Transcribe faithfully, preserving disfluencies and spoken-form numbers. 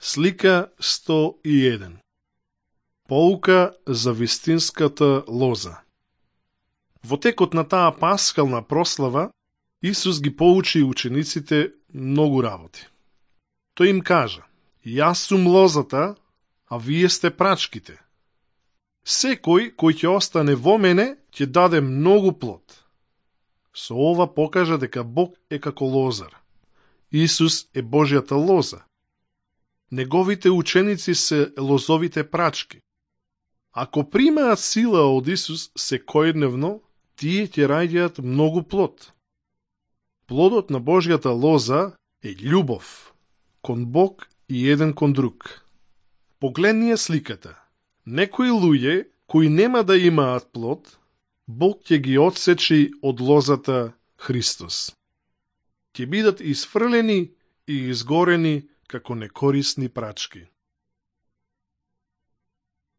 Слика сто и еден. Поука за вистинската лоза. Во текот на таа пасхална прослава, Исус ги поучи учениците многу работи. Тој им кажа: Јас сум лозата, а вие сте прачките. Секој кој ќе остане во мене, ќе даде многу плод. Со ова покажа дека Бог е како лозар. Исус е Божјата лоза. Неговите ученици се лозовите прачки. Ако примаат сила од Исус секојдневно, тие ќе раѓаат многу плод. Плодот на Божјата лоза е љубов кон Бог и еден кон друг. Погледнија сликата. Некои луѓе кои нема да имаат плод, Бог ќе ги одсечи од лозата Христос. Ќе бидат исфрлени и изгорени како некорисни прачки.